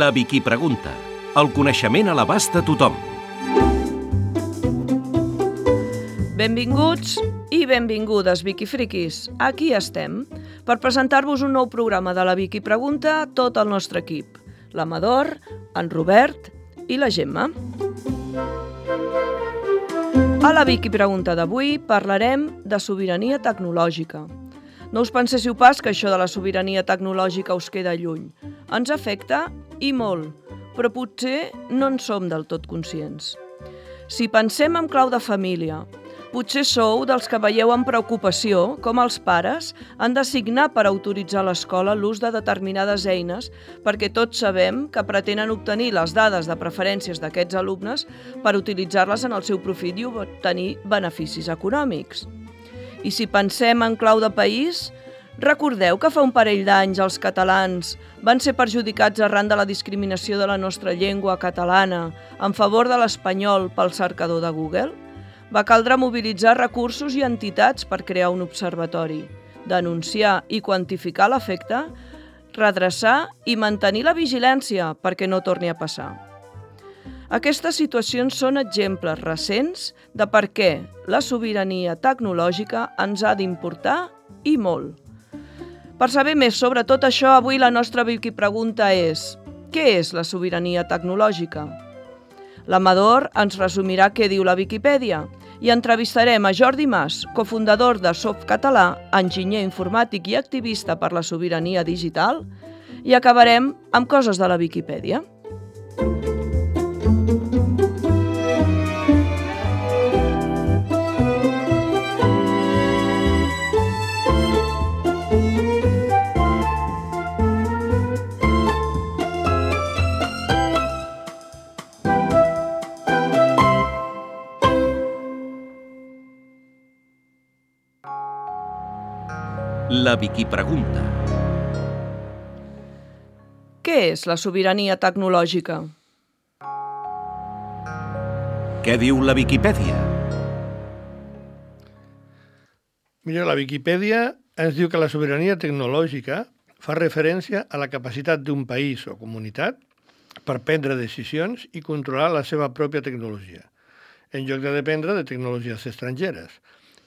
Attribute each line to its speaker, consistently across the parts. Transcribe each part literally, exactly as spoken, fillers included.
Speaker 1: La Viquipregunta. El coneixement a l'abast de tothom.
Speaker 2: Benvinguts i benvingudes, Viquifriquis. Aquí estem, per presentar-vos un nou programa de la Viquipregunta a tot el nostre equip. L'Amador, en Robert i la Gemma. A la Viquipregunta d'avui parlarem de sobirania tecnològica. No us penséssiu pas que això de la sobirania tecnològica us queda lluny. Ens afecta i molt, però potser no en som del tot conscients. Si pensem en clau de família, potser sou dels que veieu amb preocupació com els pares han de signar per autoritzar a l'escola l'ús de determinades eines perquè tots sabem que pretenen obtenir les dades de preferències d'aquests alumnes per utilitzar-les en el seu profit i obtenir beneficis econòmics. I si pensem en clau de país, recordeu que fa un parell d'anys els catalans van ser perjudicats arran de la discriminació de la nostra llengua catalana en favor de l'espanyol pel cercador de Google? Va caldre mobilitzar recursos i entitats per crear un observatori, denunciar i quantificar l'efecte, redreçar i mantenir la vigilància perquè no torni a passar. Aquestes situacions són exemples recents de per què la sobirania tecnològica ens ha d'importar i molt. Per saber més sobre tot això, avui la nostra Viquipregunta és: què és la sobirania tecnològica? L'Amador ens resumirà què diu la Viquipèdia i entrevistarem a Jordi Mas, cofundador de Softcatalà, enginyer informàtic i activista per la sobirania digital, i acabarem amb coses de la Viquipèdia.
Speaker 1: La Viquipregunta.
Speaker 2: Què és la sobirania tecnològica?
Speaker 1: Què diu la Viquipèdia?
Speaker 3: Mira, la Viquipèdia ens diu que la sobirania tecnològica fa referència a la capacitat d'un país o comunitat per prendre decisions i controlar la seva pròpia tecnologia, en lloc de dependre de tecnologies estrangeres.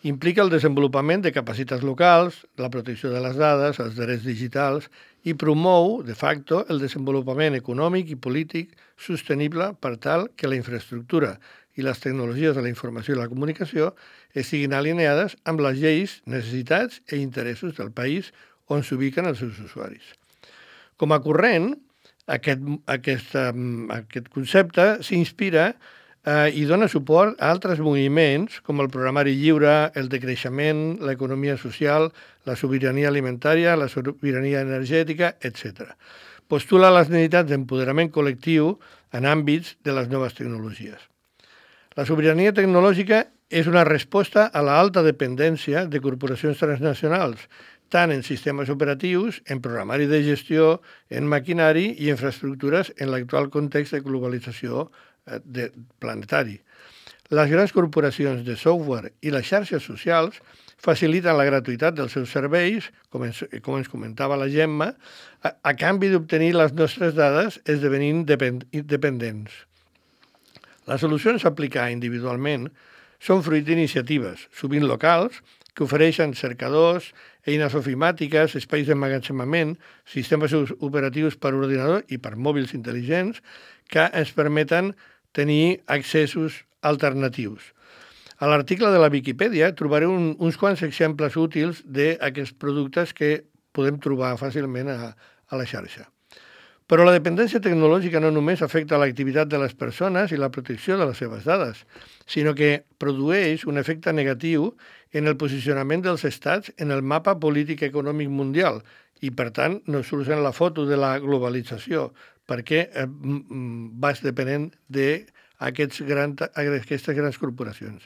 Speaker 3: Implica el desenvolupament de capacitats locals, la protecció de les dades, els drets digitals i promou, de facto, el desenvolupament econòmic i polític sostenible per tal que la infraestructura i les tecnologies de la informació i la comunicació estiguin alineades amb les lleis, necessitats i interessos del país on s'ubiquen els seus usuaris. Com a corrent, aquest, aquest, aquest concepte s'inspira Uh, i dona suport a altres moviments com el programari lliure, el decreixement, l'economia social, la sobirania alimentària, la sobirania energètica, etcètera. Postula les necessitats d'empoderament col·lectiu en àmbits de les noves tecnologies. La sobirania tecnològica és una resposta a l'alta dependència de corporacions transnacionals, tant en sistemes operatius, en programari de gestió, en maquinari i infraestructures en l'actual context de globalització de planetari. Les grans corporacions de software i les xarxes socials faciliten la gratuïtat dels seus serveis, com ens, com ens comentava la Gemma, a, a canvi d'obtenir les nostres dades esdevenint depend, dependents. Les solucions a aplicar individualment són fruit d'iniciatives, sovint locals, que ofereixen cercadors, eines ofimàtiques, espais d'emmagatzemament, sistemes operatius per ordinador i per mòbils intel·ligents que ens permeten tenir accessos alternatius. A l'article de la Viquipèdia trobareu un, uns quants exemples útils d'aquests productes que podem trobar fàcilment a, a la xarxa. Però la dependència tecnològica no només afecta l'activitat de les persones i la protecció de les seves dades, sinó que produeix un efecte negatiu en el posicionament dels estats en el mapa polític i econòmic mundial i, per tant, no surt en la foto de la globalització, perquè eh, vas depenent d'aquestes grans, grans corporacions.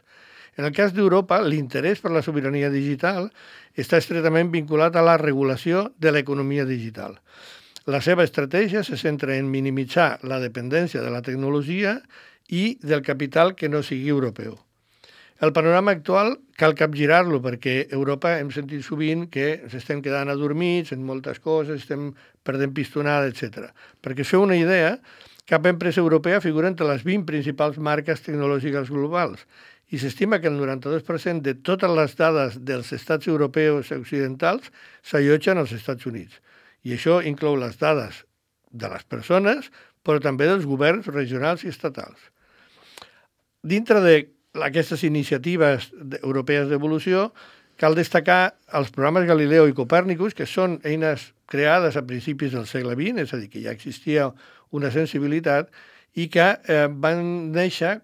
Speaker 3: En el cas d'Europa, l'interès per la sobirania digital està estretament vinculat a la regulació de l'economia digital. La seva estratègia se centra en minimitzar la dependència de la tecnologia i del capital que no sigui europeu. El panorama actual cal capgirar-lo, perquè a Europa hem sentit sovint que s'estem quedant adormits en moltes coses, estem perdent pistonada, etcètera. Perquè us feu una idea, cap empresa europea figura entre les vint principals marques tecnològiques globals i s'estima que el noranta-dos per cent de totes les dades dels estats europeus occidentals s'allotgen als Estats Units. I això inclou les dades de les persones, però també dels governs regionals i estatals. Dintre d'aquestes iniciatives europees d'evolució, cal destacar els programes Galileo i Copèrnicus, que són eines creades a principis del segle vint, és a dir, que ja existia una sensibilitat, i que eh, van néixer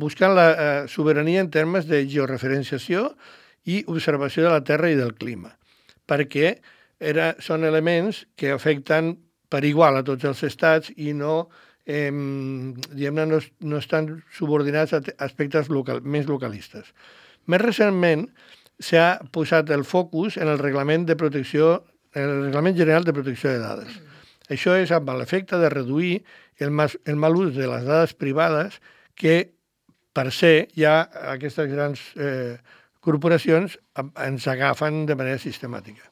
Speaker 3: buscant la eh, sobirania en termes de georreferenciació i observació de la Terra i del clima, perquè era, són elements que afecten per igual a tots els estats i no, eh, diguem-ne, no, no estan subordinats a aspectes local, més localistes. Més recentment s'ha posat el focus en el reglament de protecció, en el reglament general de protecció de dades. Això és amb l'efecte de reduir el, mas, el mal ús de les dades privades que per ser ja aquestes grans eh, corporacions ens agafen de manera sistemàtica.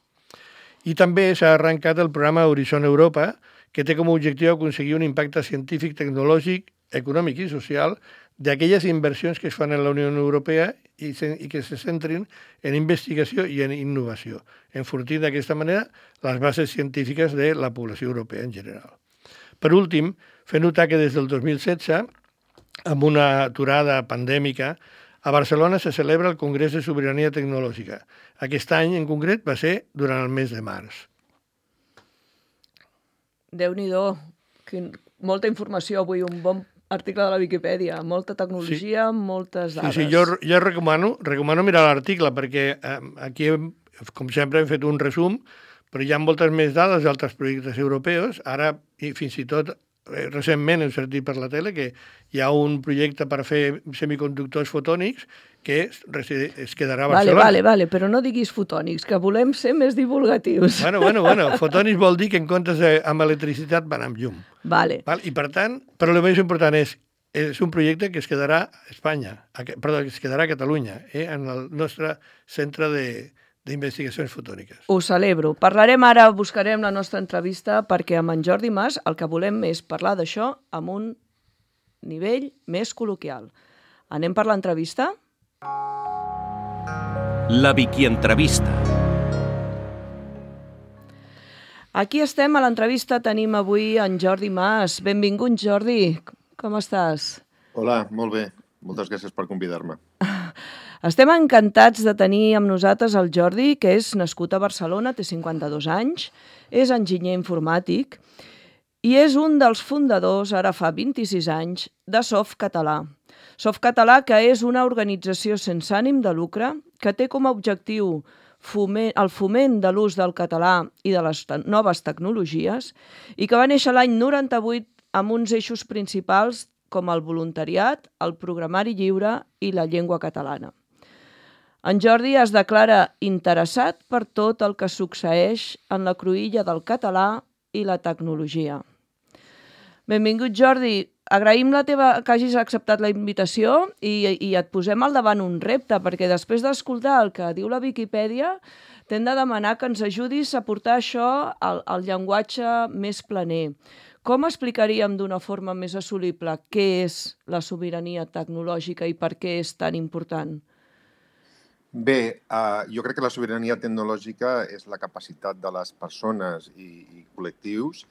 Speaker 3: I també s'ha arrencat el programa Horizon Europa, que té com a objectiu aconseguir un impacte científic, tecnològic, econòmic i social d'aquelles inversions que es fan en la Unió Europea i, se, i que se centrin en investigació i en innovació, enfortint d'aquesta manera les bases científiques de la població europea en general. Per últim, fer notar que des del dos mil setze, amb una aturada pandèmica, a Barcelona se celebra el Congrés de Sobirania Tecnològica. Aquest any, en concret, va ser durant el mes de març.
Speaker 2: Déu-n'hi-do, molta informació avui, un bon article de la Viquipèdia, molta tecnologia, sí. moltes dades.
Speaker 3: Sí, sí, jo, jo recomano, recomano mirar l'article, perquè eh, aquí, com sempre, hem fet un resum, però hi ha moltes més dades d'altres projectes europeus. Ara, i fins i tot, eh, recentment hem sentit per la tele que hi ha un projecte per fer semiconductors fotònics que es, es quedarà a Barcelona.
Speaker 2: Vale, vale, vale, però no diguis fotònics, que volem ser més divulgatius.
Speaker 3: Bueno, bueno, bueno, fotònics vol dir que en comptes de, amb electricitat van amb llum.
Speaker 2: Vale.
Speaker 3: Val? I per tant, però el més important és, és un projecte que es quedarà a Espanya, a, perdó, que es quedarà a Catalunya, eh, en el nostre centre de d'investigacions fotòniques.
Speaker 2: Ho celebro. Parlarem ara, buscarem la nostra entrevista, perquè amb en Jordi Mas el que volem és parlar d'això amb un nivell més col·loquial. Anem per l'entrevista?
Speaker 1: La Vicky Entrevista.
Speaker 2: Aquí estem, a l'entrevista tenim avui en Jordi Mas. Benvingut, Jordi. Com estàs?
Speaker 4: Hola, molt bé. Moltes gràcies per convidar-me.
Speaker 2: Estem encantats de tenir amb nosaltres el Jordi, que és nascut a Barcelona, té cinquanta-dos anys, és enginyer informàtic i és un dels fundadors, ara fa vint-i-sis anys, de Softcatalà. Softcatalà, que és una organització sense ànim de lucre que té com a objectiu foment, el foment de l'ús del català i de les noves tecnologies i que va néixer l'any noranta-vuit amb uns eixos principals com el voluntariat, el programari lliure i la llengua catalana. En Jordi es declara interessat per tot el que succeeix en la cruïlla del català i la tecnologia. Benvingut, Jordi. Agraïm la teva, que hagis acceptat la invitació i, i et posem al davant un repte, perquè després d'escoltar el que diu la Viquipèdia, t'hem de demanar que ens ajudis a portar això al, al llenguatge més planer. Com explicaríem d'una forma més assolible què és la sobirania tecnològica i per què és tan important?
Speaker 4: Bé, uh, jo crec que la sobirania tecnològica és la capacitat de les persones i, i col·lectius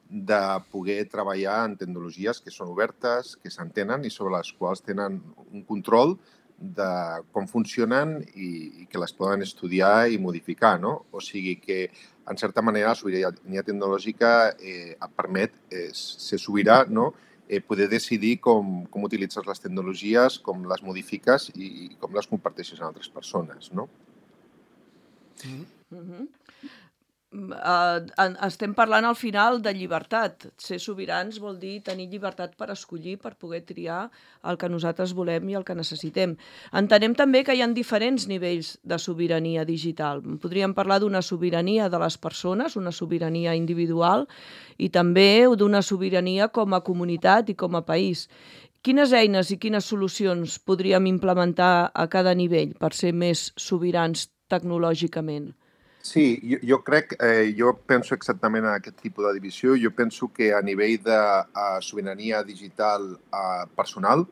Speaker 4: de poder treballar en tecnologies que són obertes, que s'entenen i sobre les quals tenen un control de com funcionen i, i que les poden estudiar i modificar, no? O sigui que, en certa manera, la sobirania tecnològica eh, et permet eh, ser sobirà, no? Eh, poder decidir com, com utilitzes les tecnologies, com les modifiques i, i com les comparteixes amb altres persones, no?
Speaker 2: Mm-hmm. Uh, estem parlant al final de llibertat. Ser sobirans vol dir tenir llibertat per escollir, per poder triar el que nosaltres volem i el que necessitem. Entenem també que hi ha diferents nivells de sobirania digital. Podríem parlar d'una sobirania de les persones, una sobirania individual, i també d'una sobirania com a comunitat i com a país. quines eines i quines solucions podríem implementar a cada nivell per ser més sobirans tecnològicament?
Speaker 4: Sí, jo, jo crec, eh, jo penso exactament en aquest tipus de divisió. Jo penso que a nivell de uh, sobirania digital uh, personal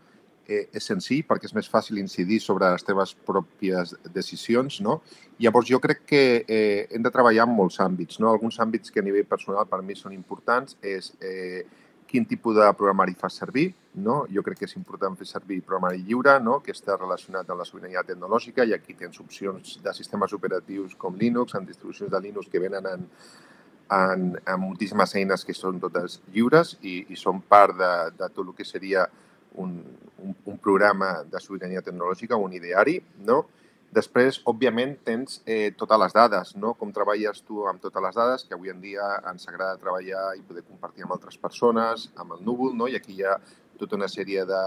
Speaker 4: eh, és senzill perquè és més fàcil incidir sobre les teves pròpies decisions, no? Llavors, jo crec que eh, hem de treballar en molts àmbits, no? Alguns àmbits que a nivell personal per mi són importants és eh, quin tipus de programari fas servir, no? Jo crec que és important fer servir programari lliure, no? Que està relacionat amb la sobirania tecnològica, i aquí tens opcions de sistemes operatius com Linux, amb distribucions de Linux que venen en, en, en moltíssimes eines que són totes lliures i, i són part de, de tot el que seria un, un, un programa de sobirania tecnològica, un ideari, no? Després, òbviament, tens eh, totes les dades, no? Com treballes tu amb totes les dades, que avui en dia ens agrada treballar i poder compartir amb altres persones, amb el núvol, no? I aquí hi ha tota una sèrie de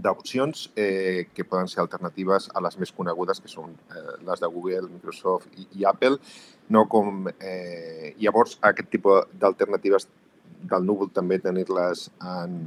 Speaker 4: d'opcions eh, que poden ser alternatives a les més conegudes, que són eh, les de Google, Microsoft i, i Apple, no? Com, eh, llavors, aquest tipus d'alternatives del núvol també tenir-les en,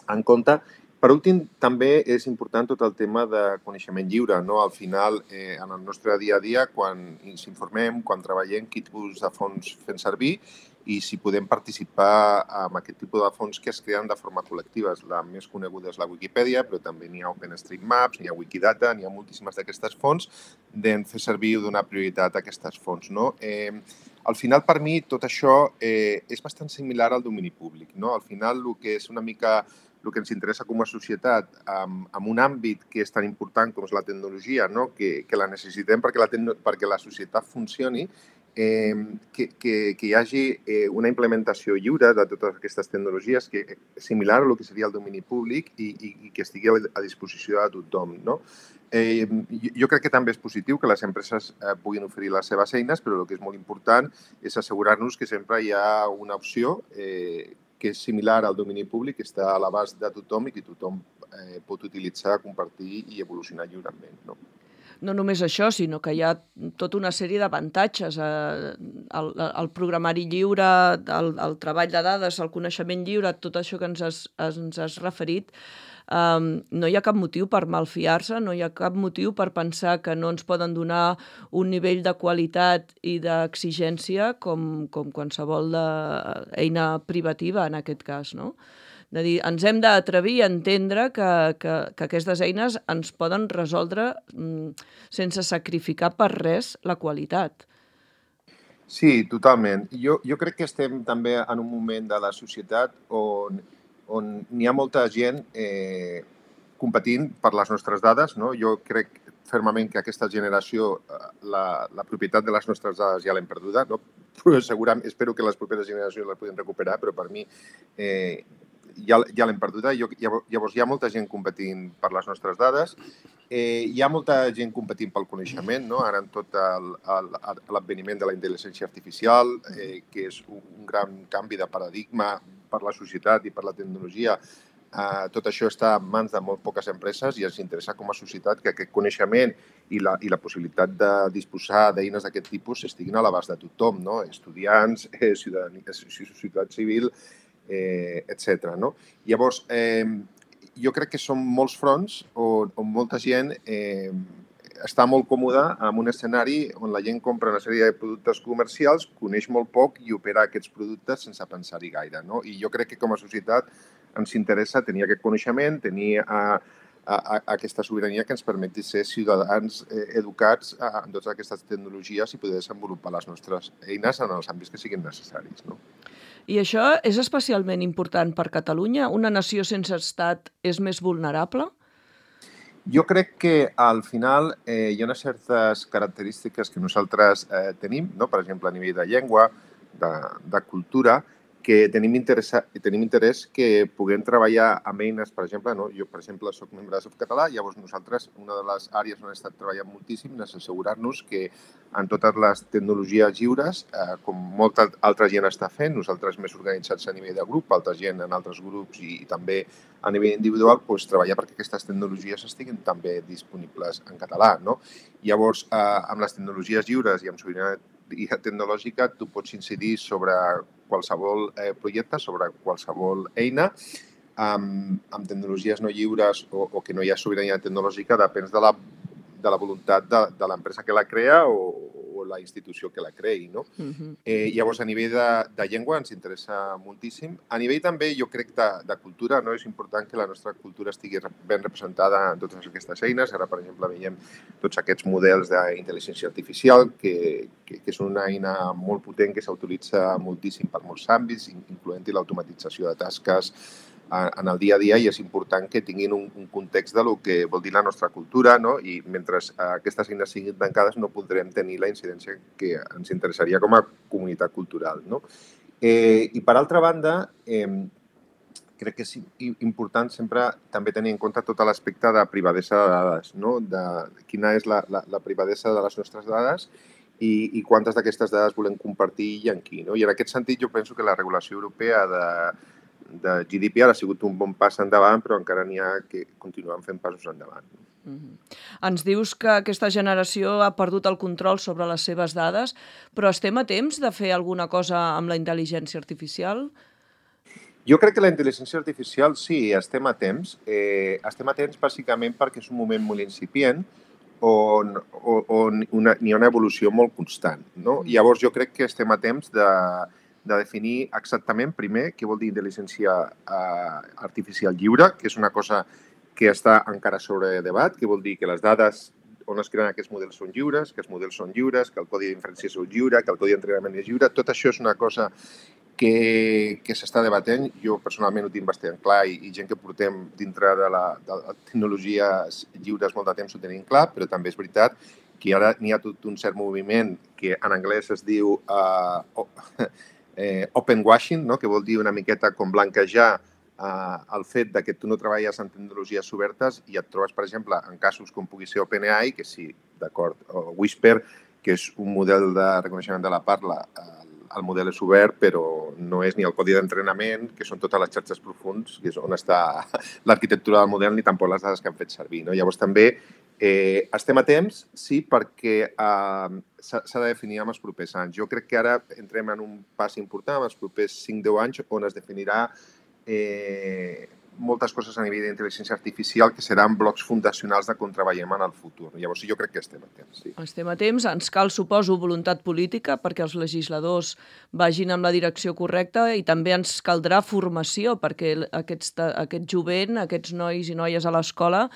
Speaker 4: en compte. Per últim, també és important tot el tema de coneixement lliure, no? Al final, eh, en el nostre dia a dia, quan ens informem, quan treballem, quin tipus de fons fem servir i si podem participar en aquest tipus de fons que es creen de forma col·lectiva. La més coneguda és la Wikipedia, però també n'hi ha OpenStreetMaps, n'hi ha Wikidata, n'hi ha moltíssimes d'aquestes fonts, d'en fer servir o donar prioritat a aquestes fonts, no? Eh, al final, per mi, tot això eh, és bastant similar al domini públic, no? Al final, el que és una mica el que ens interessa com a societat amb, amb un àmbit que és tan important com és la tecnologia, no? que, que la necessitem perquè la, perquè la societat funcioni, eh, que, que, que hi hagi eh, una implementació lliure de totes aquestes tecnologies que és similar a el que seria el domini públic i, i, i que estigui a disposició de tothom, no? Eh, jo crec que també és positiu que les empreses eh, puguin oferir les seves eines, però el que és molt important és assegurar-nos que sempre hi ha una opció eh, que és similar al domini públic, que està a l'abast de tothom i que tothom eh, pot utilitzar, compartir i evolucionar lliurement, no?
Speaker 2: No només això, sinó que hi ha tota una sèrie d'avantatges. Eh, el, el programari lliure, el, el treball de dades, el coneixement lliure, tot això que ens has, ens has referit, Um, no hi ha cap motiu per malfiar-se, no hi ha cap motiu per pensar que no ens poden donar un nivell de qualitat i d'exigència com, com qualsevol de, eina privativa, en aquest cas, no? De dir, ens hem d'atrevir a entendre que, que, que aquestes eines ens poden resoldre mm, sense sacrificar per res la qualitat.
Speaker 4: Sí, totalment. Jo, jo crec que estem també en un moment de la societat on on n'hi ha molta gent eh, competint per les nostres dades, no? Jo crec fermament que aquesta generació, la, la propietat de les nostres dades ja l'hem perduda, no? Però segurament, espero que les properes generacions les puguin recuperar, però per mi eh, ja, ja l'hem perduda. Jo, llavors hi ha molta gent competint per les nostres dades, eh, hi ha molta gent competint pel coneixement, no? Ara en tot l'adveniment de la intel·ligència artificial, eh, que és un gran canvi de paradigma per la societat i per la tecnologia, eh, tot això està en mans de molt poques empreses i ens interessa com a societat que aquest coneixement i la, i la possibilitat de disposar d'eines d'aquest tipus estiguin a l'abast de tothom, no? Estudiants, eh, ciutadania, societat civil, eh, etcètera, no? Llavors, eh, jo crec que són molts fronts on, on molta gent eh, està molt còmoda en un escenari on la gent compra una sèrie de productes comercials, coneix molt poc i opera aquests productes sense pensar-hi gaire, no? I jo crec que com a societat ens interessa tenir aquest coneixement, tenir a, a, a aquesta sobirania que ens permeti ser ciutadans eh, educats en totes aquestes tecnologies i poder desenvolupar les nostres eines en els àmbits que siguin necessaris, no?
Speaker 2: I això és especialment important per Catalunya? Una nació sense estat és més vulnerable?
Speaker 4: Jo crec que al final eh, hi ha unes certes característiques que nosaltres eh, tenim, no? Per exemple, a nivell de llengua, de, de cultura, que tenim interès, tenim interès que puguem treballar amb eines, per exemple, no? Jo, per exemple, soc membre de Softcatalà, llavors nosaltres, una de les àrees on hem estat treballant moltíssim és assegurar-nos que en totes les tecnologies lliures, eh, com molta altra gent està fent, nosaltres més organitzats a nivell de grup, altra gent en altres grups i, i també a nivell individual, doncs, treballar perquè aquestes tecnologies estiguin també disponibles en català, no? Llavors, eh, amb les tecnologies lliures i amb sobirania tecnològica, tu pots incidir sobre qualsevol eh, projecte, sobre qualsevol eina, amb, amb tecnologies no lliures o, o que no hi ha sobirania tecnològica depèn de la, de la voluntat de, de l'empresa que la crea o, o la institució que la creï, no? Uh-huh. eh, llavors, a nivell de, de llengua ens interessa moltíssim. A nivell també, jo crec, de, de cultura, no? És important que la nostra cultura estigui ben representada en totes aquestes eines. Ara, per exemple, veiem tots aquests models d'intel·ligència artificial, que, que, que és una eina molt potent que s'utilitza moltíssim per molts àmbits, incloent-hi l'automatització de tasques en el dia a dia, i és important que tinguin un, un context de lo que vol dir la nostra cultura, no? I mentre aquestes eines siguin tancades no podrem tenir la incidència que ens interessaria com a comunitat cultural, no? Eh, I per altra banda, eh, crec que és important sempre també tenir en compte tot l'aspecte de privadesa de dades, no? De quina és la, la, la privadesa de les nostres dades i, i quantes d'aquestes dades volem compartir i en qui, no? I en aquest sentit jo penso que la regulació europea de de G D P R ha sigut un bon pas endavant, però encara n'hi ha que continuen fent passos endavant.
Speaker 2: Mm-hmm. Ens dius que aquesta generació ha perdut el control sobre les seves dades, però estem a temps de fer alguna cosa amb la intel·ligència artificial?
Speaker 4: Jo crec que la intel·ligència artificial sí, estem a temps. Eh, estem a temps bàsicament perquè és un moment molt incipient on, on una, hi ha una evolució molt constant, no? Mm. Llavors jo crec que estem a temps de de definir exactament, primer, què vol dir intel·ligència eh, artificial lliure, que és una cosa que està encara sobre debat, que vol dir que les dades on es creen aquests models són lliures, que els models són lliures, que el codi d'inferència és lliure, que el codi d'entrenament és lliure. Tot això és una cosa que, que s'està debatent. Jo personalment ho tinc bastant clar i, i gent que portem dintre de la, de la tecnologies lliures molt de temps ho tenim clar, però també és veritat que ara n'hi ha tot un cert moviment que en anglès es diu uh, oh, Eh, open washing, no? Que vol dir una miqueta com blanquejar eh, el fet de que tu no treballes en tecnologies obertes i et trobes, per exemple, en casos com pugui ser OpenAI, que sí, d'acord, o Whisper, que és un model de reconeixement de la parla, el, el model és obert, però no és ni el codi d'entrenament, que són totes les xarxes profunds, que és on està l'arquitectura del model, ni tampoc les dades que han fet servir, no? Llavors també Eh, estem a temps, sí, perquè eh, s'ha de definir amb els propers anys. Jo crec que ara entrem en un pas important, en els propers cinc deu anys, on es definirà eh, moltes coses a nivell d'intel·ligència artificial que seran blocs fundacionals de com treballem en el futur. Llavors, jo crec que estem a temps, sí.
Speaker 2: Estem a temps. Ens cal, suposo, voluntat política perquè els legisladors vagin amb la direcció correcta i també ens caldrà formació perquè aquests, aquest jovent, aquests nois i noies a l'escola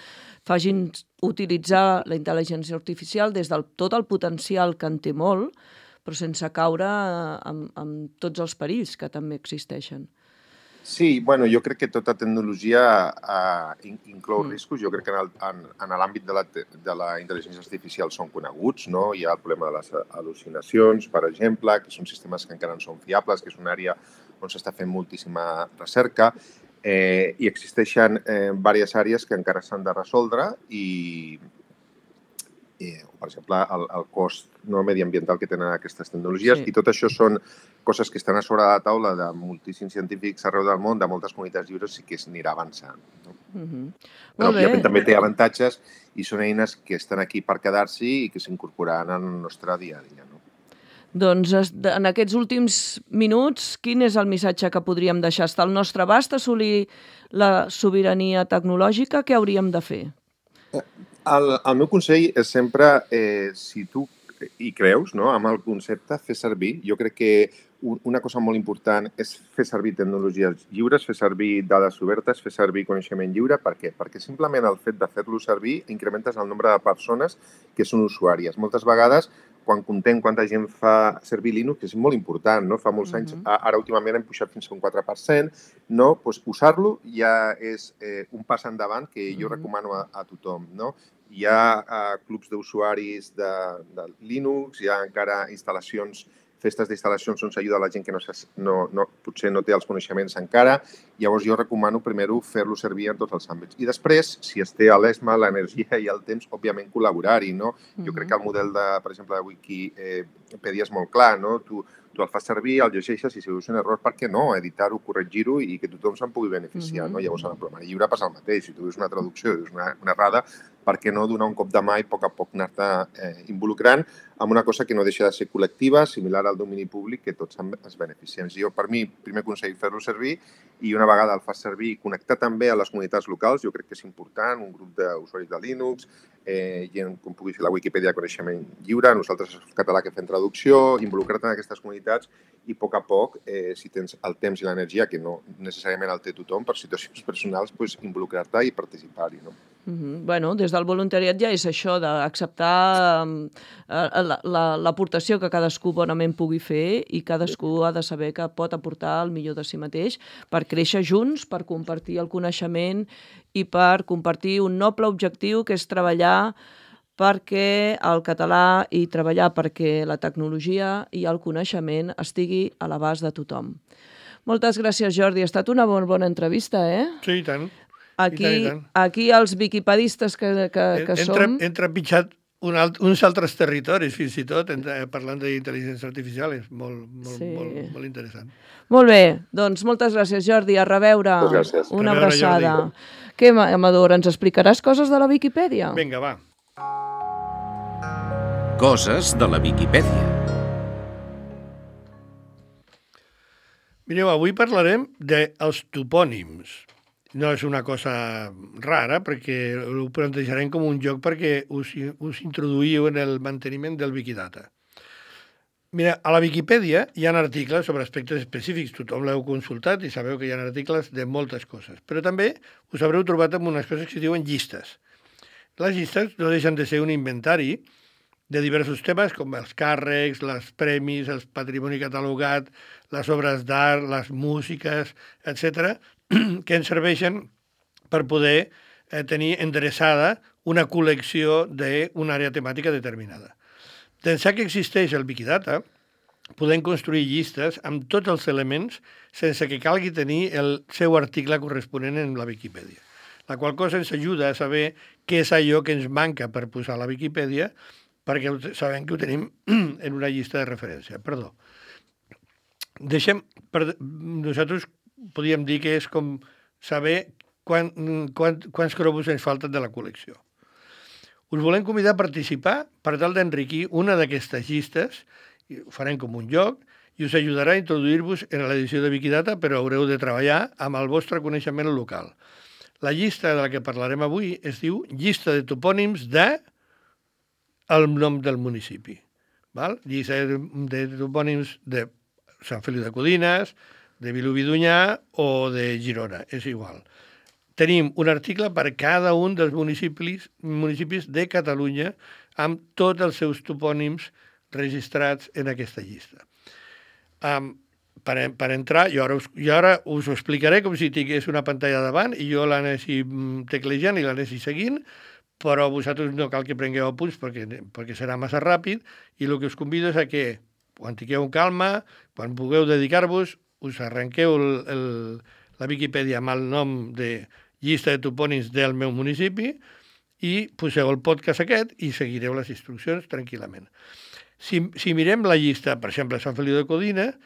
Speaker 2: facin utilitzar la intel·ligència artificial des del tot el potencial que en té molt, però sense caure amb, amb tots els perills que també existeixen.
Speaker 4: Sí, bueno, jo crec que tota tecnologia eh, inclou mm. riscos. Jo crec que en, en, en l'àmbit de, la, de la intel·ligència artificial són coneguts, no? Hi ha el problema de les al·lucinacions, per exemple, que són sistemes que encara no són fiables, que és una àrea on s'està fent moltíssima recerca. Eh, I existeixen eh, diverses àrees que encara s'han de resoldre i, i per exemple, el, el cost no mediambiental que tenen aquestes tecnologies. Sí. I tot això són coses que estan a sobre de la taula de moltíssims científics arreu del món, de moltes comunitats lliures, i que s'anirà avançant. No?
Speaker 2: Mm-hmm.
Speaker 4: Però, òbviament, també té avantatges i són eines que estan aquí per quedar-s'hi i que s'incorporaran en el nostre dia a dia. No?
Speaker 2: Doncs en aquests últims minuts, quin és el missatge que podríem deixar? Està al nostre abast assolir la sobirania tecnològica? Què hauríem de fer?
Speaker 4: El, el meu consell és sempre, eh, si tu hi creus, no, amb el concepte, fer servir. Jo crec que una cosa molt important és fer servir tecnologies lliures, fer servir dades obertes, fer servir coneixement lliure. Per què? Perquè simplement el fet de fer-lo servir incrementes el nombre de persones que són usuàries. Moltes vegades, quan contem quanta gent fa servir Linux, que és molt important, no? Fa molts anys, uh-huh. ara últimament hem pujat fins a un quatre per cent, no? Pues usar-lo ja és eh, un pas endavant que jo uh-huh. recomano a, a tothom, no? Hi ha uh, clubs d'usuaris de, de Linux, hi ha encara instal·lacions, festes d'instal·lacions on s'ajuda la gent que no, no, no, potser no té els coneixements encara. Llavors jo recomano primer fer-lo servir en tots els àmbits. I després, si es té l'ESMA, l'energia i el temps, òbviament col·laborar-hi, no? Uh-huh. Jo crec que el model, de, per exemple, de Wikipedia és molt clar, no? Tu, tu el fas servir, el llegeixes i si veus un error, per què no? Editar-ho, corregir-ho i que tothom se'n pugui beneficiar, uh-huh. no? Llavors, en el programari lliure passa el mateix. Si tu veus una traducció i veus una, una errada, per què no donar un cop de mà i a poc a poc anar-te eh, involucrant amb una cosa que no deixa de ser col·lectiva, similar al domini públic, que tots es beneficiem. Jo, per mi, primer consell, fer-lo servir i una vegada el fas servir, connectar també a les comunitats locals, jo crec que és important, un grup d'usuaris de Linux, eh, gent com pugui ser la Wikipedia de coneixement lliure, nosaltres el català que fem traducció, involucrar-te en aquestes comunitats i a poc a poc, eh, si tens el temps i l'energia, que no necessàriament el té tothom, per situacions personals, pues, involucrar-te i participar-hi. No?
Speaker 2: Mm-hmm. Bueno, des del voluntariat ja és això d'acceptar eh, l'aportació que cadascú bonament pugui fer i cadascú ha de saber que pot aportar el millor de si mateix per créixer junts, per compartir el coneixement i per compartir un noble objectiu que és treballar perquè el català i treballar perquè la tecnologia i el coneixement estigui a l'abast de tothom. Moltes gràcies, Jordi. Ha estat una molt bona entrevista, eh?
Speaker 3: Sí, i tant.
Speaker 2: Aquí,
Speaker 3: I tant, i tant.
Speaker 2: aquí els wikipedistes que, que, que
Speaker 3: entra,
Speaker 2: som...
Speaker 3: Entra pitjat un alt, uns altres territoris, fins i tot, entra, parlant d'intel·ligència artificial, és molt, molt, sí. molt, molt interessant.
Speaker 2: Molt bé, doncs moltes gràcies, Jordi. A reveure.
Speaker 4: Moltes gràcies.
Speaker 2: Una
Speaker 3: a reveure,
Speaker 2: abraçada.
Speaker 3: Jordi.
Speaker 2: Què, Amador, ens explicaràs coses de la Viquipèdia?
Speaker 3: Vinga, va.
Speaker 1: Coses de la Viquipèdia.
Speaker 3: Mireu, avui parlarem dels topònims. No és una cosa rara, perquè ho plantejarem com un joc perquè us, us introduïu en el manteniment del Wikidata. Mira, a la Viquipèdia hi ha articles sobre aspectes específics, tothom l'heu consultat i sabeu que hi ha articles de moltes coses, però també us haureu trobat amb unes coses que es diuen llistes. Les llistes no deixen de ser un inventari de diversos temes, com els càrrecs, els premis, el patrimoni catalogat, les obres d'art, les músiques, etcètera, que ens serveixen per poder eh, tenir endreçada una col·lecció d'una àrea temàtica determinada. D'ençà que existeix el Wikidata, podem construir llistes amb tots els elements sense que calgui tenir el seu article corresponent en la Viquipèdia. La qual cosa ens ajuda a saber què és allò que ens manca per posar a la Viquipèdia, perquè sabem que ho tenim en una llista de referència. Perdó. Deixem, per, nosaltres podríem dir que és com saber quan, quan, quants cromos ens falten de la col·lecció. Us volem convidar a participar per tal d'enriquir una d'aquestes llistes, i ho farem com un joc, i us ajudarà a introduir-vos en l'edició de Wikidata, però haureu de treballar amb el vostre coneixement local. La llista de la que parlarem avui es diu Llista de topònims de el nom del municipi. Val? Llista de, de topònims de Sant Feliu de Codines, de Vilobí d'Onyar o de Girona, és igual. Tenim un article per cada un dels municipis, municipis de Catalunya amb tots els seus topònims registrats en aquesta llista. Um, per, per entrar, jo ara, us, jo ara us ho explicaré com si tingués una pantalla davant i jo l'anessi teclejant i l'anessi seguint, però vosaltres no cal que prengueu apunts perquè, perquè serà massa ràpid i el que us convido és a que quan tingueu calma, quan pugueu dedicar-vos, us arrenqueu el, el, la Viquipèdia amb el nom de llista de topònims del meu municipi i poseu el podcast aquest i seguireu les instruccions tranquil·lament. Si, si mirem la llista, per exemple, Sant Feliu de Codines,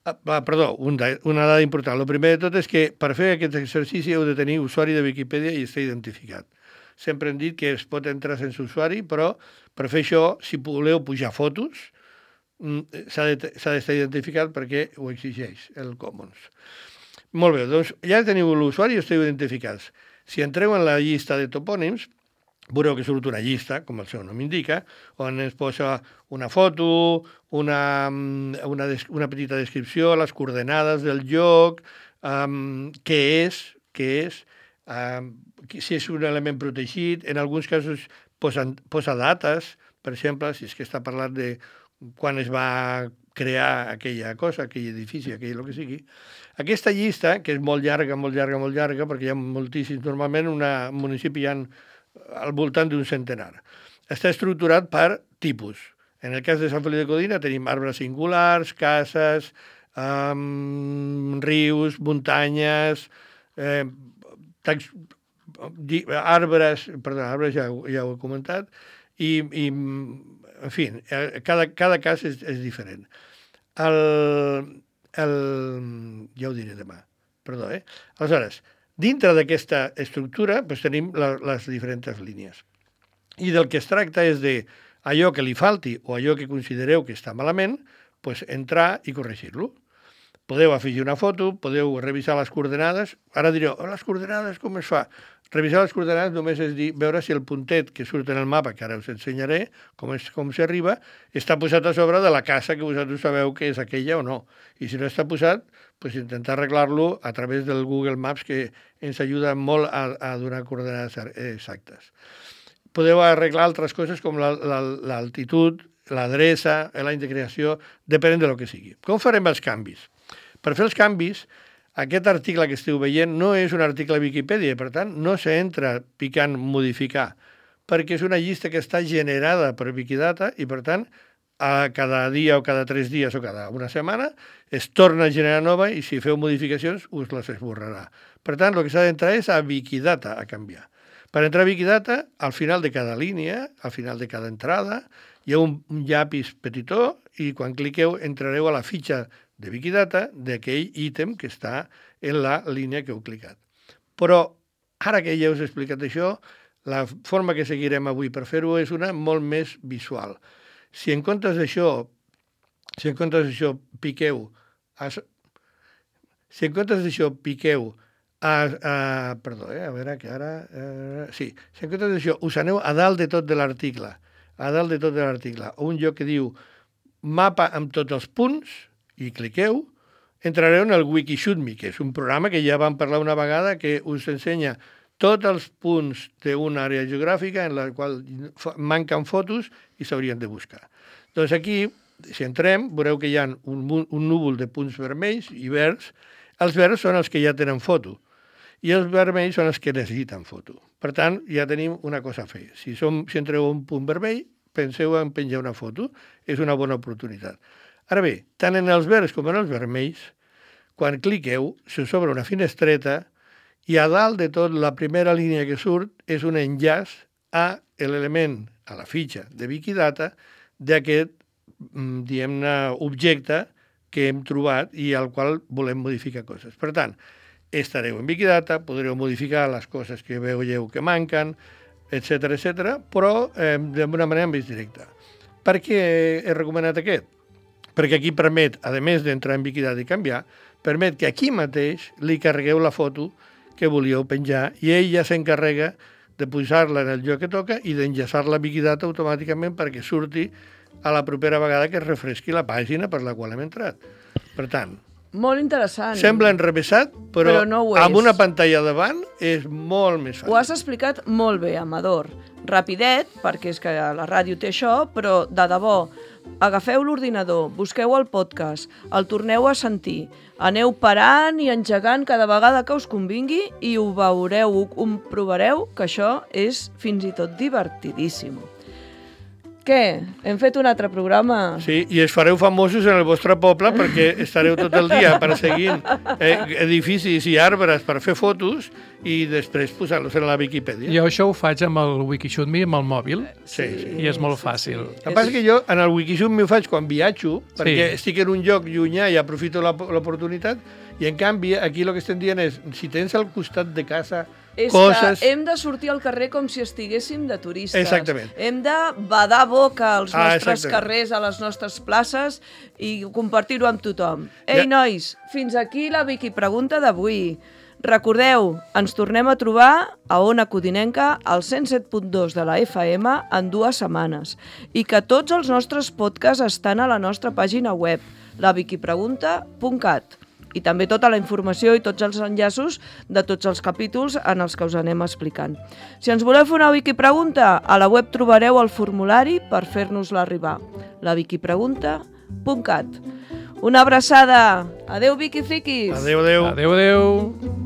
Speaker 3: ah, perdó, una, una dada important. El primer de tot és que per fer aquest exercici heu de tenir usuari de Viquipèdia i estar identificat. Sempre hem dit que es pot entrar sense usuari, però per fer això, si voleu pujar fotos, s'ha d'estar identificat perquè ho exigeix el Commons. Molt bé, doncs ja teniu l'usuari i esteu identificats. Si entreu en la llista de topònims, veureu que surt una llista, com el seu nom indica, on es posa una foto, una, una, una petita descripció, les coordenades del lloc, um, què és, què és, um, si és un element protegit. En alguns casos posa, posa dates, per exemple, si és que està parlant de quan es va crear aquella cosa, aquell edifici, aquell el que sigui. Aquesta llista, que és molt llarga, molt llarga, molt llarga, perquè hi ha moltíssims, normalment un municipi hi ha al voltant d'un centenar. Està estructurat per tipus. En el cas de Sant Feliu de Codines tenim arbres singulars, cases, um, rius, muntanyes, eh, tax, arbres, perdó, arbres ja, ja ho he comentat, i, i en fi, cada, cada cas és, és diferent. El, el, ja ho diré demà, perdó, eh? Aleshores, dintre d'aquesta estructura doncs, tenim la, les diferents línies. I del que es tracta és de allò que li falti o allò que considereu que està malament, doncs, entrar i corregir-lo. podeu afegir una foto, podeu revisar les coordenades. Ara direu, oh, les coordenades com es fa? Revisar les coordenades només és dir, veure si el puntet que surt en el mapa, que ara us ensenyaré com és com s'arriba, està posat a sobre de la casa que vosaltres sabeu que és aquella o no. I si no està posat, pues intentar arreglar-lo a través del Google Maps, que ens ajuda molt a, a donar coordenades exactes. Podeu arreglar altres coses com l'altitud, l'adreça, l'any de creació, depenent de lo que sigui. Com farem els canvis? Per fer els canvis, aquest article que esteu veient no és un article a Viquipèdia, per tant, no s'entra picant modificar, perquè és una llista que està generada per Wikidata i, per tant, a cada dia o cada tres dies o cada una setmana es torna a generar nova i si feu modificacions us les esborrarà. Per tant, el que s'ha d'entrar és a Wikidata a canviar. Per entrar a Wikidata, al final de cada línia, al final de cada entrada, hi ha un, un llapis petitó i quan cliqueu entrareu a la fitxa de Wikidata d'aquell ítem que està en la línia que heu clicat. Però, ara que ja us he explicat això, la forma que seguirem avui per fer-ho és una molt més visual. Si en comptes d'això, si en comptes d'això piqueu, a, si en comptes d'això piqueu, a, a, perdó, eh, a veure que ara, eh, sí, si en comptes d'això us aneu a dalt de tot de l'article, a dalt de tot de l'article, un lloc que diu mapa amb tots els punts, i cliqueu, entrareu en el Wikishootme, que és un programa que ja vam parlar una vegada que us ensenya tots els punts d'una àrea geogràfica en la qual manquen fotos i s'haurien de buscar. Doncs aquí, si entrem, veureu que hi ha un, un núvol de punts vermells i verds. Els verds són els que ja tenen foto i els vermells són els que necessiten foto. Per tant, ja tenim una cosa a fer. Si, som, si entreu a un punt vermell, penseu en penjar una foto. És una bona oportunitat. Ara bé, tant en els verds com en els vermells, quan cliqueu, se us obre una finestreta i a dalt de tot la primera línia que surt és un enllaç a l'element, a la fitxa de Wikidata d'aquest, diguem-ne, objecte que hem trobat i al qual volem modificar coses. Per tant, estareu en Wikidata, podreu modificar les coses que veieu que manquen, etcètera, etcètera, però eh, d'una manera més directa. Per què he recomanat aquest? Perquè aquí permet, a més d'entrar en Wikidata i canviar, permet que aquí mateix li carregueu la foto que volíeu penjar i ell ja s'encarrega de posar-la en el lloc que toca i d'enllaçar-la a Wikidata automàticament perquè surti a la propera vegada que es refresqui la pàgina per la qual hem entrat. Per tant,
Speaker 2: molt interessant.
Speaker 3: Sembla enrevessat, però,
Speaker 2: però no
Speaker 3: amb una pantalla davant és molt més fàcil.
Speaker 2: Ho has explicat molt bé, Amador. Rapidet, perquè és que la ràdio té això, però de debò, agafeu l'ordinador, busqueu el podcast, el torneu a sentir, aneu parant i engegant cada vegada que us convingui i ho veureu, ho comprovareu que això és fins i tot divertidíssim. Què? Hem fet un altre programa?
Speaker 3: Sí, i es fareu famosos en el vostre poble perquè estareu tot el dia perseguint eh, edificis i arbres per fer fotos i després posar-los en la Viquipèdia.
Speaker 5: Jo això ho faig amb el Wikishootme amb el mòbil
Speaker 3: sí, sí.
Speaker 5: i és molt fàcil.
Speaker 3: El que passa és que jo en el Wikishootme ho faig quan viatjo perquè
Speaker 5: sí.
Speaker 3: estic en un lloc llunyà i aprofito l'oportunitat i en canvi aquí el que estem dient és si tens al costat de casa
Speaker 2: és
Speaker 3: coses...
Speaker 2: que hem de sortir al carrer com si estiguéssim de turistes.
Speaker 3: Exactament.
Speaker 2: Hem de badar boca als
Speaker 3: ah,
Speaker 2: nostres carrers, a les nostres places i compartir-ho amb tothom. Ei, ja. nois, fins aquí la Viqui Pregunta d'avui. Recordeu, ens tornem a trobar a Ona Codinenca al cent set punt dos de la F M en dues setmanes i que tots els nostres podcasts estan a la nostra pàgina web, la viquipregunta punt cat. I també tota la informació i tots els enllaços de tots els capítols en els que us anem explicant. Si ens voleu fer una Wikipregunta, a la web trobareu el formulari per fer-nos-la arribar, la viquipregunta punt cat. Una abraçada! Adéu, Viquifriquis!
Speaker 3: Adéu, adéu!
Speaker 5: Adéu, adéu!